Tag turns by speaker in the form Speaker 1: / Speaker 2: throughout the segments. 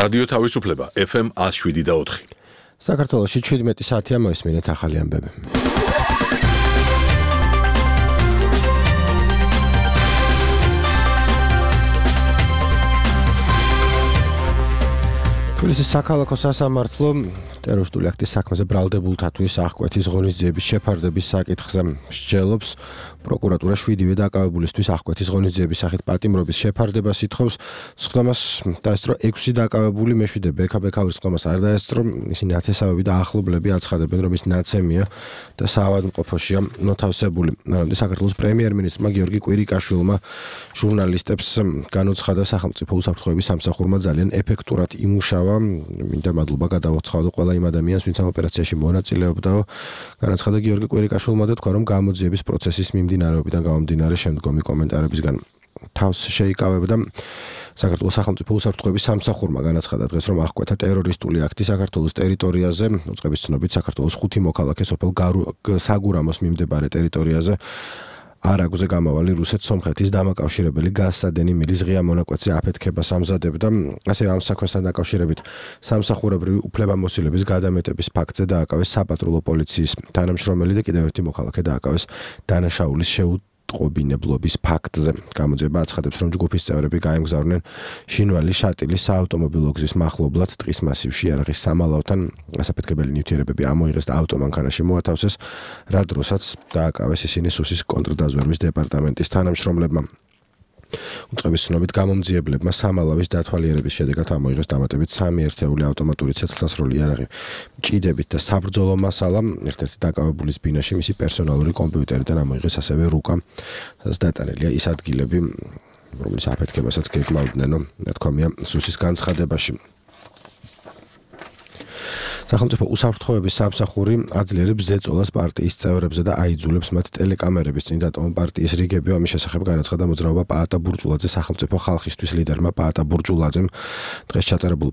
Speaker 1: რადიო თავისუფლება FM 107.4.
Speaker 2: საქართველოში 17 საათია მოისმინეთ ახალი ამბები. თბილისის საქალაქო სასამართლო ტერორისტული აქტის საქმეზე ბრალდებულთათვის აღკვეთის ღონისძიების შეფარდების საკითხზე მსჯელობს. პროკურატურა 7-ვე დაკავებულისთვის აღკვეთის ღონისძიების სახით პატიმრობის შეფარდებას ითხოვს. სხდომას დაესწრო 6 დაკავებული, მეშვიდე ბექა-ბექაურის სხდომას არ დაესწრო. ისინი ათესავები და ახლობლები აცხადებენ, რომ ის ნაცემია და საავადმყოფოშია მოთავსებული. მანამდე საქართველოს პრემიერ-მინისტრმა გიორგი კვირიკაშვილმა ჟურნალისტებს განუცხადა, სახელმწიფო უსაფრთხოების სამსახურმა ძალიან ეფექტურად იმუშავა. მინდა მადლობა გადავაცხადო ყველა იმ ადამიანს, ვინც ამ ოპერაციაში მონაწილეობდაო. განაცხადა გიორგი კვირიკაშვილმა და თქვა, რომ გამოძიების პროცესის მიმდინარეობიდან გამომდინარე შემდგომი კომენტარებისგან თავს შეიკავებდა. საქართველოს სახელმწიფო უსაფრთხოების სამსახურმა განაცხადა დღეს, რომ აღკვეთა ტერორისტული აქტი საქართველოს ტერიტორიაზე, უწყების ცნობით საქართველოს 5 მოქალაქე სოფელ საგურამოს მიმდებარე ტერიტორიაზე არაგზე გამავალი რუსეთ-სომხეთის დამაკავშირებელი გაზსადენი მილის ღია მონაკვეთზე აფეთქებას ამზადებდა. ასევე ამ საქმესთან დაკავშირებით სამსახურებრივი უფლებამოსილების გადამეტების ფაქტზე დააკავეს საპატრულო პოლიციის თანამშრომელი და კიდევ ერთი მოქალაქე დააკავეს დანაშაულის შეუტყობინებლობის ფაქტზე. გამოძიება აცხადებს, რომ ჯგუფის წევრები გაემგზავრნენ შინვალი შატილის საავტომობილო გზის მახლობლად ტყის მასივში იარაღის სამალავთან. გასაფეთქებელი ნივთიერებები ამოიღეს და ავტომანქანაში მოათავსეს, რა დროსაც დააკავეს ისინი სუსის კონტრდაზვერვის დეპარტამენტის თანამშრომლებმა. უწყების ცნობით გამომძიებლებმა სამალავის დათვალიერების შედეგად ამოიღეს დამატებით 3 ერთეული ავტომატური ცეცხლსასროლი იარაღი ჭიდებით და საბრძოლო მასალა. ერთ-ერთი დაკავებულის ბინაში მისი პერსონალური კომპიუტერიდან ამოიღეს ასევე რუკა, სადაც დატანილია ის ადგილები, რომლის აფეთქებასაც გეგმავდნენ, ნათქვამია სუსის განცხადებაში. სახელმწიფო უსაფრთხოების სამსახური აძლიერებს ზეწოლას პარტიის წევრებზე და აიძულებს მათ ტელეკამერების წინ დატოვონ პარტიის რიგები. ამის შესახებ განაცხადა მოძრაობა პაატა ბურჯულაძე. სახელმწიფო ხალხისთვის ლიდერმა პაატა ბურჯულაძემ დღეს ჩატარებულ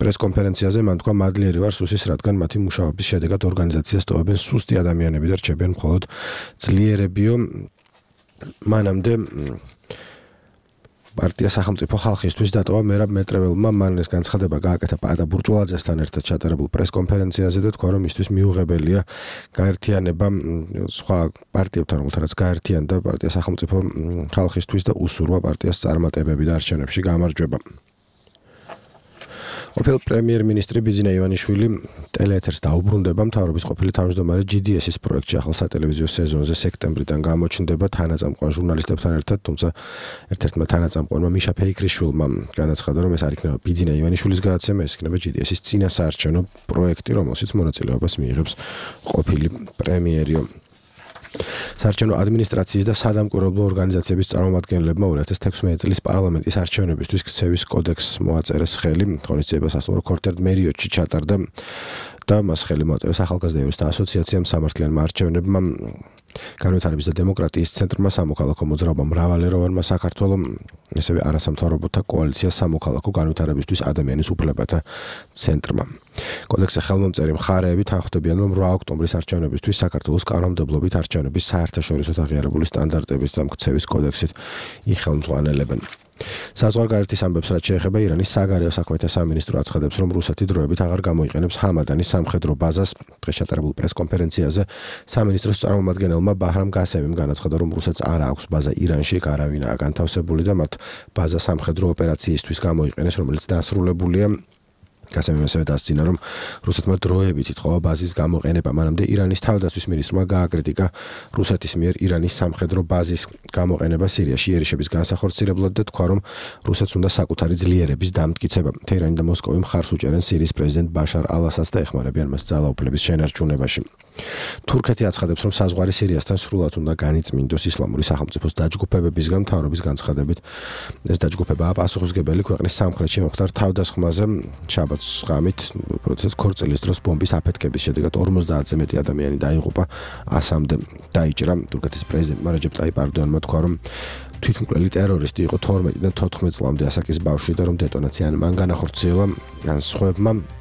Speaker 2: პრესკონფერენციაზე მან თქვა, მადლიერი ვარ სუსის, რადგან მათი მუშაობის შედეგად ორგანიზაციას ტოვებენ სუსტი ადამიანები და რჩებიან მხოლოდ ძლიერებიო. მანამდე პარტია სახელმწიფო ხალხისთვის დატოვა მერაბ მეტრეველმა. მან ეს განცხადება გააკეთა პაატა ბურჯულაძესთან ერთად ჩატარებულ პრესკონფერენციაზე და თქვა, რომ მისთვის მიუღებელია გაერთიანება სხვა პარტიებთან, რომელთანაც გაერთიანდა პარტია სახელმწიფო ხალხისთვის და უსურვა პარტიას წარმატებები და არჩევნებში გამარჯვება. ყოფილი პრემიერ-მინისტრი ბიძინა ივანიშვილი ტელეეთერს დაუბრუნდება. მთავრობის ყოფილი თავმჯდომარე GDS-ის პროექტში ახალ სატელევიზიო სეზონზე სექტემბრიდან გამოჩნდება თანაწამყვან ჟურნალისტებთან ერთად, თუმცა ერთ-ერთმა თანაწამყვანმა მიშა ფეიქრიშვილმა განაცხადა, რომ ეს არ იქნება ბიძინა ივანიშვილის გადაცემა, ეს იქნება GDS-ის წინასაარჩევნო პროექტი, რომელშიც მონაწილეობას მიიღებს ყოფილი პრემიერიო. საარჩევნო ადმინისტრაციის და სადამკვირვებლო ორგანიზაციების წარმომადგენლებმა 2016 წლის პარლამენტის არჩევნებისთვის ქცევის კოდექსს მოაწერეს ხელი. ღონისძიებას ასწავლა ქორთერ მერიოტში ჩატარდა და მას ხელი მოაწერეს ახალგაზრდა იურისტთა ასოციაციამ, სამართლიანმა არჩევნებმა, განვითარების და დემოკრატიის ცენტრმა, სამოქალაქო მოძრაობამ მრავალეროვანმა საქართველოს, ასევე არასამთავრობოთა კოალიცია სამოქალაქო განვითარებისთვის ადამიანის უფლებათა ცენტრმა. კოდექსზე ხელმომწერი მხარეები თანხმდებიან, რომ 8 ოქტომბრის არჩევნებისთვის საქართველოს კანონმდებლობით არჩევნების საერთაშორისო აღიარებული სტანდარტების და ქცევის კოდექსით იხელმძღვანელებენ. საზღვარგარეთის ამბებს რაც შეეხება ირანის საგარეო საქმეთა სამინისტრო აცხადებს, რომ რუსეთი დროებით აღარ გამოიყენებს ჰამადანის სამხედრო ბაზას. დღეს ჩატარებულ პრესკონფერენციაზე სამინისტროს წარმომადგენელმა ბაჰრამ გასემიმ განაცხადა, რომ რუსეთს არ აქვს ბაზა ირანში, არავინაა განთავსებული და მათ ბაზა სამხედრო ოპერაციისთვის გამოიყენეს, რომელიც დასრულებულია. გასემიმ ასევე დასძინა, რომ რუსეთმა დროებით ითხოვა ბაზის გამოყენება. მანამდე ირანის თავდაცვის მინისტრმა გააკრიტიკა რუსეთის მიერ ირანის სამხედრო ბაზის გამოყენება სირიაში იერიშების განსახორციელებლად და თქვა, რომ რუსეთს უნდა საკუთარი ძლიერების დამტკიცება. თეირანი და მოსკოვი მხარს უჭერენ სირიის პრეზიდენტ ბაშარ ალ-ასადს და ეხმარებიან მას ძალაუფლების შენარჩუნებაში. თურქეთი აცხადებს, რომ საზღვარი სირიასთან სრულად უნდა განიწმინდოს ისლამური სახელმწიფოს დაჯგუფებებისგან. მთავრობის განცხადებით ეს დაჯგუფებაა პასუხისმგებელი ქვეყნის სამხრეთში მომხდარ თავდასხმაზე. შაბათს ღამით პროტესტ ქორწილის დროს ბომბის აფეთქების შედეგად 50-ზე მეტი ადამიანი დაიღუპა, 100-მდე დაიჭრა. თურქეთის პრეზიდენტმა რეჯეპ ტაიპ ერდოანმა თქვა, რომ თვითმკვლელი ტერორისტი იყო 12-დან 14 წლამდე ასაკის ბავშვი და რომ დეტონაცია მან განახორციელა ან სხვებმა